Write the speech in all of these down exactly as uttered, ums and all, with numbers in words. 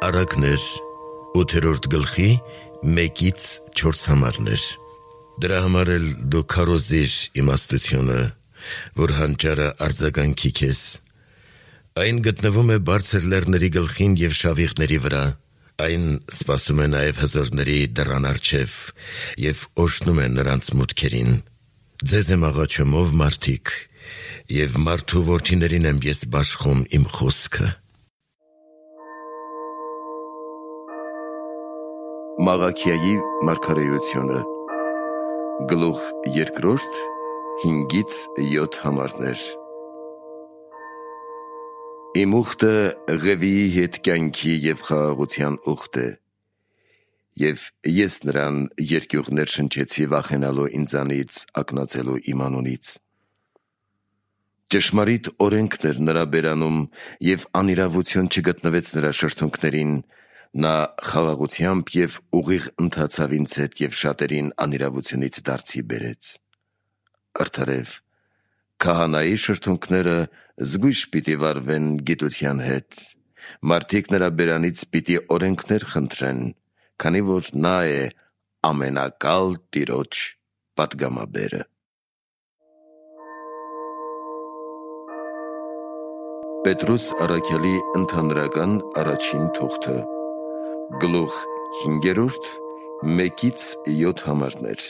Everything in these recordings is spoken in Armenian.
Առակներ ութերորդ գլխի մեկից չորս համարներ։ Դրա համար էլ դու քարոզիր իմաստությունը, որ հանճարը արձագանքի քեզ։ Այն գտնվում է բարձր լեռների գլխին և շավիղների վրա, այն սպասում է նաև հզորների դռան առջև և օրհնում է նրանց մուտքերին։ Ձեզ եմ աղաչում, ով մարդիկ, և մարդու որդիներին եմ ես բաշխում իմ խոսքը։ Մաղաքիայի մարգարեությունը գլուխ երկրորդ հինգից յոթ համարներ։ Իմ ուխտը Ղևիի հետ կյանքի և խաղաղության ուխտ է, և ես նրան երկյուղներ շնչեցի վախենալու ինձանից ակնածելու իմ անունից։ Ճշմարիտ օրենքն էր նրա բերանում, և անիրավություն չգտնվեց նրա շրթունքներին, նա խաղաղությամբ և ուղիղ ընթացավ ինձ հետ և շատերին անիրավությունից դարձի բերեց։ Արդարև, քահանայի շրթունքները զգույշ պիտի վարվեն գիտության հետ, մարդիկ նրա բերանից պիտի օրենքներ խնդրեն, քանի որ նա է ամենակալ Տիրոջ պատգամաբերը։ Պետրոս առաքյալի ընդհանրական առաջին թուղթը գլուխ հինգերորդ մեկից յոթ համարներ։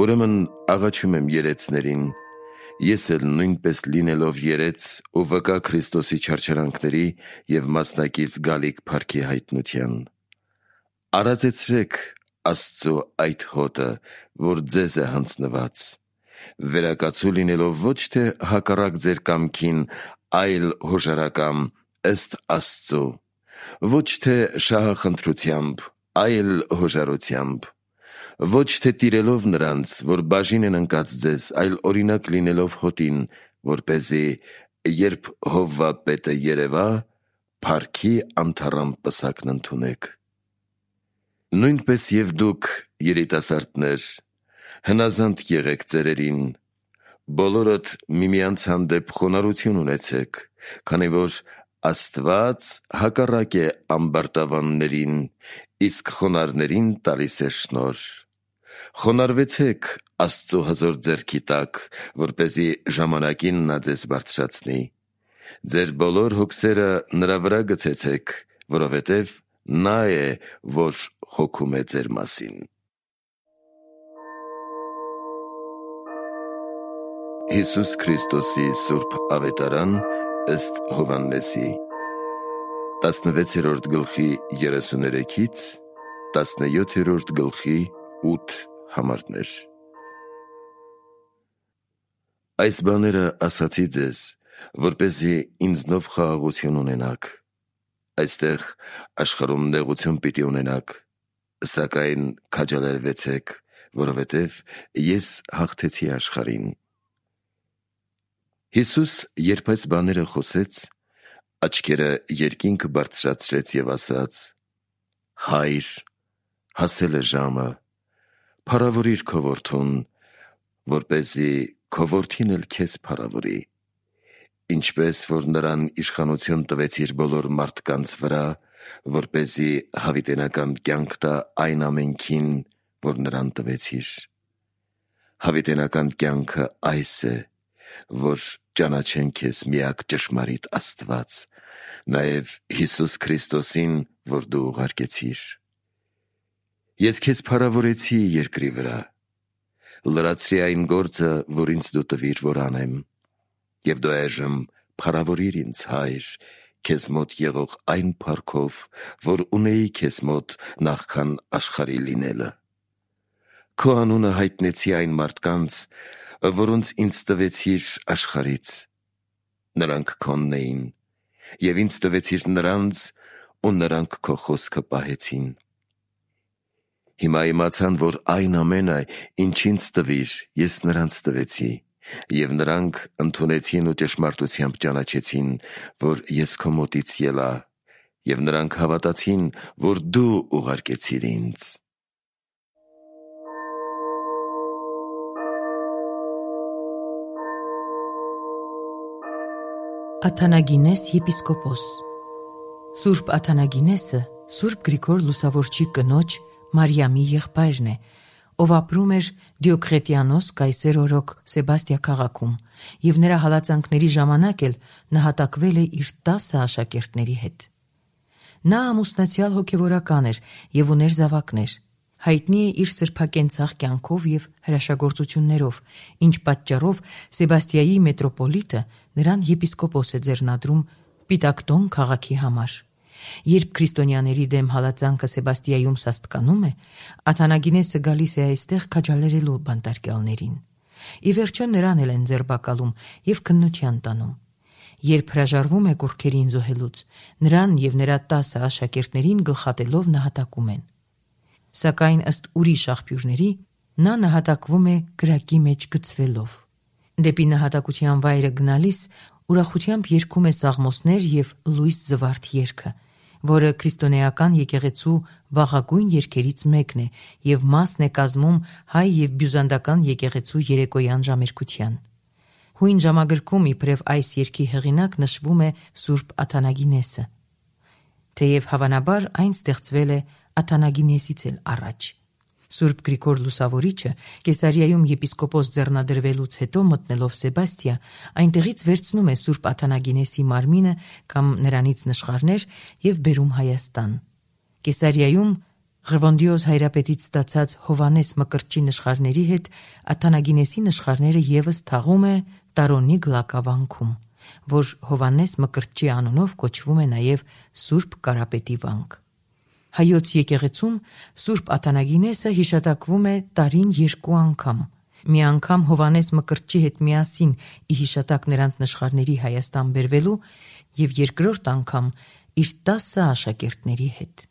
Ուրեմն աղաչում եմ երեցներին, ես էլ նույնպես լինելով երեց ու վկա Քրիստոսի չարչարանքների և մասնակից գալիք փառքի հայտնության, արածեցրեք Աստծու այդ հոտը, որ ձեզ է հանձնված, վերակացու լինելով ոչ թե հակառակ ձեր կամքին, այլ հոժարակամ ըստ Աստծու, ոչ թե շահախնդրությամբ, այլ հոժարությամբ, ոչ թե տիրելով նրանց, որ բաժին են ընկած ձեզ, այլ օրինակ լինելով հոտին, որպեսզի երբ Հովվա-պետը երևա, փառքի անթառամ պսակն ընդունեք։ Նույնպես և դուք, երիտասարդներ, հնազանդ եղեք ծերերին, բոլորդ միմյանց հանդեպ խոնարհություն ունեցեք, քանի որ Աստված հակառակ է ամբարտավաններին, իսկ խոնարհներին տալիս է շնորհ։ Խոնարհվեցեք Աստծու հզոր ձեռքի տակ, որպեսզի ժամանակին նա ձեզ բարձրացնի։ Ձեր բոլոր հոգսերը նրա վրա գցեցեք, որովհետև նա է, որ հոգում է ձեր մասին։ Հիսուս Քրիստոսի սուրբ ավետարան ըստ Հովհաննեսի տասնվեցերորդ գլխի երեսուներեքից տասնյոթերորդ գլխի ութ համարներ։ Այս բաները ասացի ձեզ, որպեսզի ինձնով խաղաղություն ունենաք։ Այստեղ աշխարհում նեղություն պիտի ունենաք, սակայն քաջալերվեցեք, որովհետև ես հաղթեցի աշխարհին։ Հիսուս, երբ այս բաները խոսեց, աչքերը երկինք բարձրացրեց և ասաց. «Հայր, հասել է ժամը, փառավորիր քո որդուն, որպեսզի քո որդին էլ քեզ փառավորի, ինչպես որ նրան իշխանություն տվեցիր բոլոր մարդկանց վրա, որպեսզի հավիտենական կյանք տա այն ամենքին, որ նրան տվեցիր։ Հավիտենական կյանքը այս է, որ ճանաչեն քեզ միակ ճշմարիտ Աստված, նաև Հիսուս Քրիստոսին, որ դու ուղարկեցիր։ Ես քեզ փառավորեցի երկրի վրա, լրացրի այն գործը, որ ինձ դու տվիր, որ անեմ, և դու այժմ փառավորիր ինձ, Հայր, քեզ մոտ եղող այն փառքով, որ ունեի քեզ մոտ նախքան աշխարհի լինելը։ Քո անունը հայտնեցի այն մարդկանց, որոնց ինձ տվեցիր աշխարհից, նրանք քոնն էին, և ինձ տվեցիր նրանց, ու նրանք քո խոսքը պահեցին։ Հիմա իմացան, որ այն ամենը, ինչ ինձ տվիր, ես նրանց տվեցի, և նրանք ընդունեցին ու ճշմարտությամբ ճանաչեցին, որ ես քո մոտից ելա, և նրանք հավատացին, որ դու ուղարկեցիր ինձ։ Աթանագինես եպիսկոպոս Սուրբ Աթանագինեսը Սուրբ Գրիգոր Լուսավորչի կնոջ Մարիամի եղբայրն է, ով ապրում էր Դիոկլետիանոս կայսեր օրոք Սեբաստիա քաղաքում, եւ նրա հալածանքների ժամանակ էլ նահատակվել է իր տասը աշակերտների հետ։ Նա ամուսնացյալ հոգևորական էր եւ ուներ զավակներ։ Հայտնի է իր սրբակենցաղ կյանքով եւ հրաշագործություններով, ինչ պատճառով Սեբաստիայի մետրոպոլիտը նրան եպիսկոպոս է ձեռնադրում Պիտակտոն քաղաքի համար։ Երբ քրիստոնյաների դեմ հալածանքը Սեբաստիայում սաստկանում է, Աթանագինեսը գալիս է այստեղ քաջալերելու բանտարկյալներին։ Ի վերջո նրան էլ են ձերբակալում եւ քննության տանում։ Երբ հրաժարվում է կուռքերին զոհելուց, նրան եւ նրա տասը աշակերտներին գլխատելով նահատակում են։ Սակայն ըստ ուրիշ աղբյուրների, նա նահատակվում է կրակի մեջ գցվելով։ Դեպի նահատակության վայրը գնալիս ուրախությամբ երգում է սաղմոսներ եւ լույս զվարթ երգը, որը քրիստոնեական եկեղեցու վաղագույն երգերից մեկն է եւ մասն է կազմում հայ եւ բյուզանդական եկեղեցու երեկոյան ժամերգության։ Հույն ժամագրքում իբրև այս երգի հեղինակ նշվում է Սուրբ Աթանագինեսը, թեև հավանաբար այն ստեղծվել է Աթանագինեսից էլ առաջ։ Սուրբ Գրիգոր Լուսավորիչը Կեսարիայում եպիսկոպոս ձեռնադրվելուց հետո մտնելով Սեբաստիա, այնտեղից վերցնում է Սուրբ Աթանագինեսի մարմինը կամ նրանից նշխարներ եւ բերում Հայաստան։ Կեսարիայում Ղևոնդիոս հայրապետից ստացած Հովանես Մկրտչի նշխարների հետ Աթանագինեսի նշխարները եւս թաղում է Տարոնի գլակավանքում, որ Հովանես Մկրտչի անունով կոչվում է նաեւ Սուրբ Կարապետի վանք։ Հայոց եկեղեցում Սուրբ Աթանագինեսը հիշատակվում է տարին երկու անգամ։ Մի անգամ Հովանես Մկրտչի հետ միասին ի հիշատակ նրանց նշխարների Հայաստան բերվելու եւ երկրորդ անգամ իր տասը աշակերտների հետ։